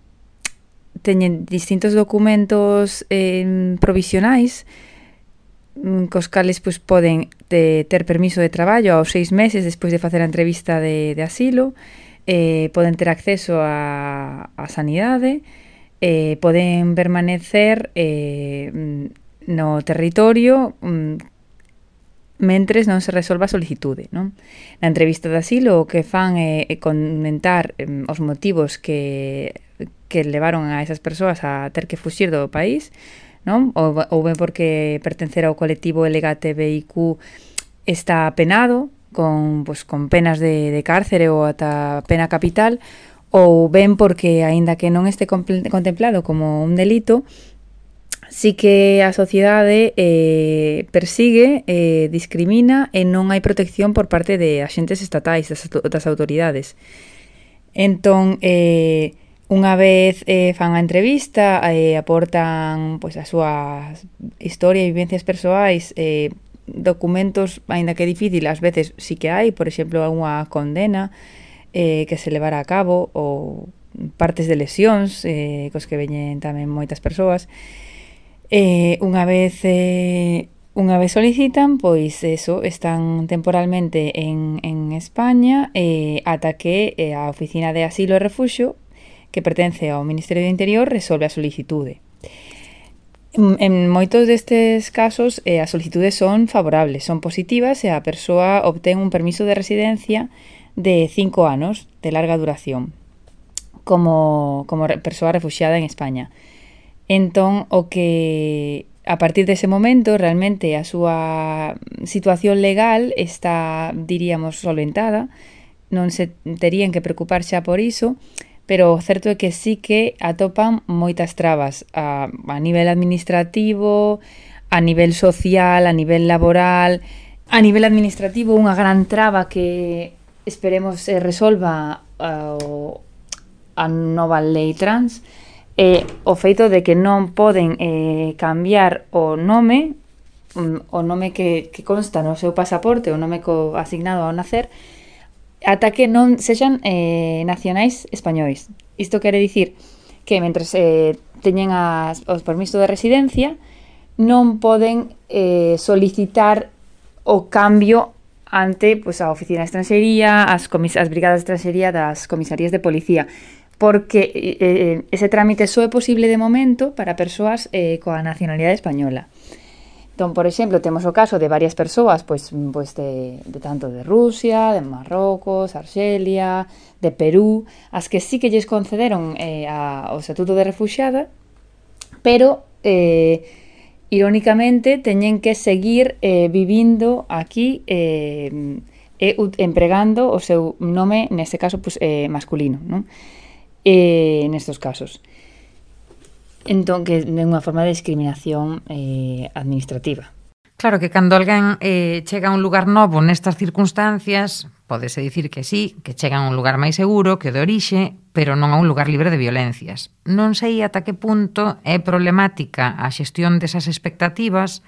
teñen distintos documentos eh, provisionais cos cales pues, poden de, ter permiso de traballo aos seis meses despois de facer a entrevista de, de asilo, eh, poden ter acceso a, a sanidade, eh, poden permanecer eh, no territorio mm, mentres non se resolva a solicitude, non? Na entrevista de asilo o que fan é, é comentar eh, os motivos que, que levaron a esas persoas a ter que fuxir do país, non? Ou, ou ben porque pertencer ao colectivo L G T B I Q está penado con, pues, con penas de, de cárcere ou ata pena capital, ou ben porque, aínda que non este contemplado como un delito, sí que a sociedade eh, persigue, eh, discrimina e non hai protección por parte de axentes estatais, das, das autoridades. Entón, eh, unha vez eh, fan a entrevista, eh, aportan pues, a súa historia e vivencias persoais, eh, documentos, aínda que difícil, ás veces sí que hai, por exemplo, unha condena eh, que se levara a cabo, ou partes de lesións, eh, cos que veñen tamén moitas persoas. Eh, unha vez eh, unha vez solicitan, pois eso, están temporalmente en, en España eh, ata que eh, a Oficina de Asilo e Refuxio, que pertence ao Ministerio do Interior, resolve a solicitude. En, en moitos destes casos eh, as solicitudes son favorables, son positivas e a persoa obtén un permiso de residencia de cinco anos de larga duración como, como persoa refuxiada en España. Entón, o que a partir dese momento realmente a súa situación legal está, diríamos, solventada, non se terían que preocupar xa por iso, pero o certo é que sí que atopan moitas trabas a, a nivel administrativo, a nivel social, a nivel laboral. A nivel administrativo, unha gran traba que esperemos se resolva a, a nova lei trans é o feito de que non poden eh, cambiar o nome, o nome que, que consta no seu pasaporte, o nome co asignado ao nacer, ata que non sexan eh, nacionais españois. Isto quere dicir que mentre eh, teñen as, os permisos de residencia non poden eh, solicitar o cambio ante pues, a Oficina de Estranxería, as, comis- as brigadas de estranxería das comisarías de policía, porque eh, ese trámite só é posible de momento para persoas eh, coa nacionalidade española. Entón, por exemplo, temos o caso de varias persoas pois, pois de, de tanto de Rusia, de Marrocos, Arxelia, de Perú, as que sí que lles concederon eh, a, o estatuto de refuxiada, pero eh, irónicamente teñen que seguir eh, vivindo aquí eh, e empregando o seu nome, neste caso, pues, eh, masculino, non? Eh, nestos casos. Entón, que é unha forma de discriminación eh, administrativa. Claro que cando alguén eh, chega a un lugar novo nestas circunstancias, pódese dicir que sí, que chega a un lugar máis seguro que o de orixe, pero non a un lugar libre de violencias. Non sei ata que punto é problemática a xestión desas expectativas,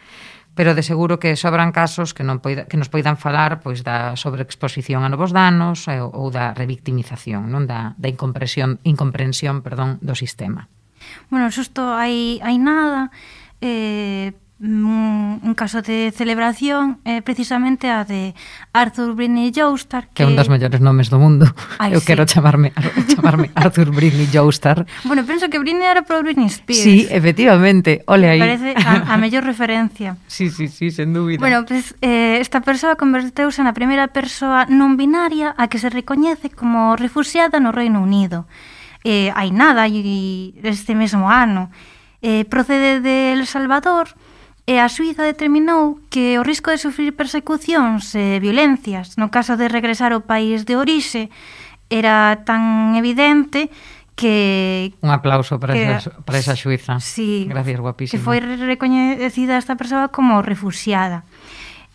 pero de seguro que sobran casos que non poida, que nos poidan falar pois da sobreexposición a novos danos ou, ou da revictimización, non da, da incomprensión, incomprensión perdón, do sistema. Bueno, xusto hai, hai nada... Eh... Un, un caso de celebración é eh, precisamente a de Arthur Britney Joestar, que é un dos mellores nomes do mundo. Ay, Eu sí. quero chamarme chamarme Arthur Britney Joestar. Bueno, penso que Britney era por Britney Spears. Sí, efectivamente, ole aí. Parece a, a mellor referencia. Sí, sí, sí, sen dúbida. Bueno, pues, eh, esta persoa converteuse na primeira persoa non binaria a que se recoñece como refuxiada no Reino Unido. Eh, hai nada, e este mesmo ano. Eh, procede de El Salvador, e a Suíza determinou que o risco de sufrir persecucións e violencias no caso de regresar ao país de orixe era tan evidente que... Un aplauso para, que, esa, para esa Suíza. Sí, gracias, guapísima. Que foi recoñecida esta persoa como refuxiada.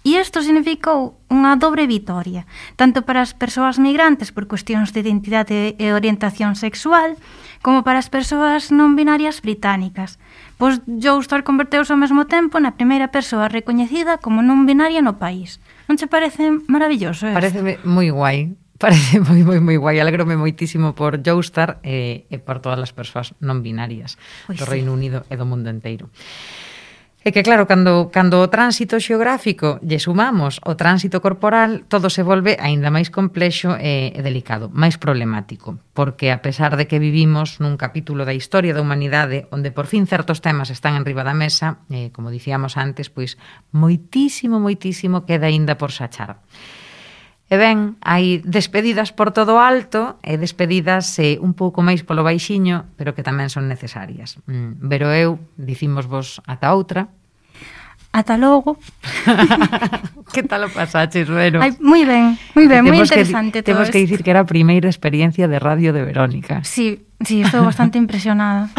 E isto significou unha dobre vitoria, tanto para as persoas migrantes por cuestións de identidade e orientación sexual, como para as persoas non binarias británicas. Pois Joestar converteuse ao mesmo tempo na primeira persoa recoñecida como non binaria no país. Non che parece maravilloso isto? Parece moi guai. Parece moi, moi, moi guai. Alegrome moitísimo por Joestar e, e por todas as persoas non binarias pois do sí. Reino Unido e do mundo enteiro. É que claro, cando, cando o tránsito xeográfico lle sumamos o tránsito corporal, todo se volve aínda máis complexo e, e delicado, máis problemático, porque a pesar de que vivimos nun capítulo da historia da humanidade onde por fin certos temas están en riba da mesa, eh, como dicíamos antes, pois moitísimo, moitísimo queda aínda por sachar. E ben, hai despedidas por todo o alto e despedidas eh, un pouco máis polo baixiño, pero que tamén son necesarias. Mm, pero eu, dicimos vos ata outra. Ata logo. Que tal o pasaches, Vero? Ai, moi ben, moi ben, moi interesante que, todo Temos que dicir que era a primeira experiencia de radio de Verónica. Sí, sí, estou bastante impresionada.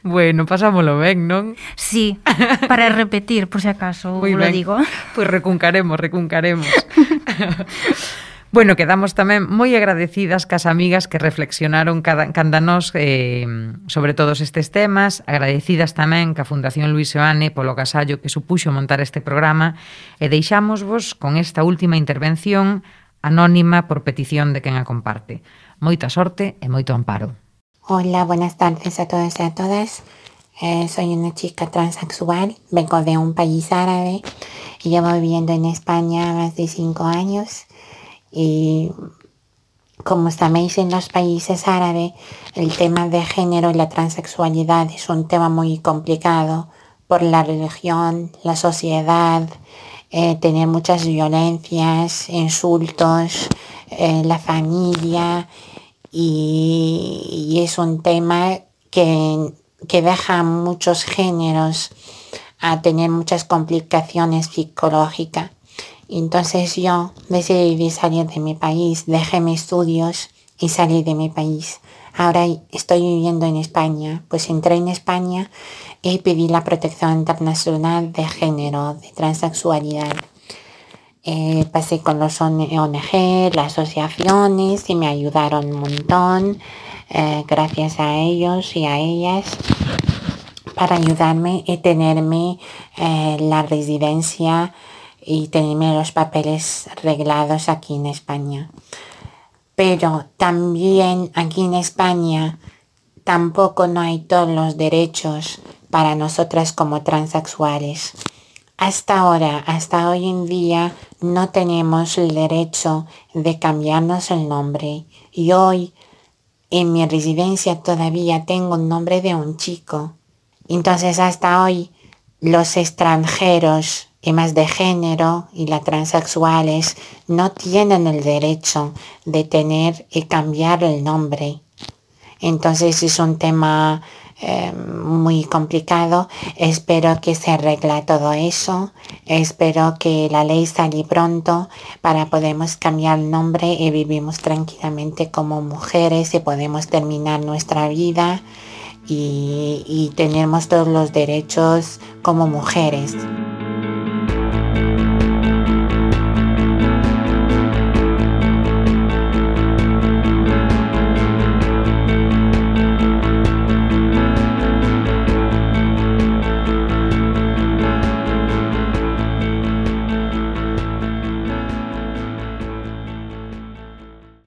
Bueno, pasámolo ben, non? Sí, para repetir, por si acaso, Muy lo ben. digo. Pois pues recuncaremos, recuncaremos. Bueno, quedamos tamén moi agradecidas cas amigas que reflexionaron cada, canda nós eh, sobre todos estes temas, agradecidas tamén ca Fundación Luis Seoane polo agasallo que supuxo montar este programa e deixámosvos con esta última intervención anónima por petición de quen a comparte. Moita sorte e moito amparo. Hola, buenas tardes a todos y a todas. Eh, soy una chica transexual, vengo de un país árabe y llevo viviendo en España más de cinco años. Y como sabéis, en los países árabes el tema de género y la transexualidad es un tema muy complicado por la religión, la sociedad, eh, tener muchas violencias, insultos, eh, la familia, y, y es un tema que que deja a muchos géneros a tener muchas complicaciones psicológicas. Entonces yo decidí salir de mi país, dejé mis estudios y salí de mi país. Ahora estoy viviendo en España. Pues entré en España y pedí la protección internacional de género, de transexualidad. Eh, pasé con los O N G, las asociaciones, y me ayudaron un montón. Eh, gracias a ellos y a ellas para ayudarme y tenerme eh, la residencia y tenerme los papeles arreglados aquí en España. Pero también aquí en España tampoco no hay todos los derechos para nosotras como transexuales. Hasta ahora, hasta hoy en día, no tenemos el derecho de cambiarnos el nombre. Y hoy, en mi residencia, todavía tengo el nombre de un chico. Entonces, hasta hoy, los extranjeros, temas de género y las transexuales no tienen el derecho de tener y cambiar el nombre. Entonces es un tema eh, muy complicado. Espero que se arregle todo eso. Espero que la ley salga pronto para podamos cambiar el nombre y vivimos tranquilamente como mujeres y podemos terminar nuestra vida y, y tenemos todos los derechos como mujeres.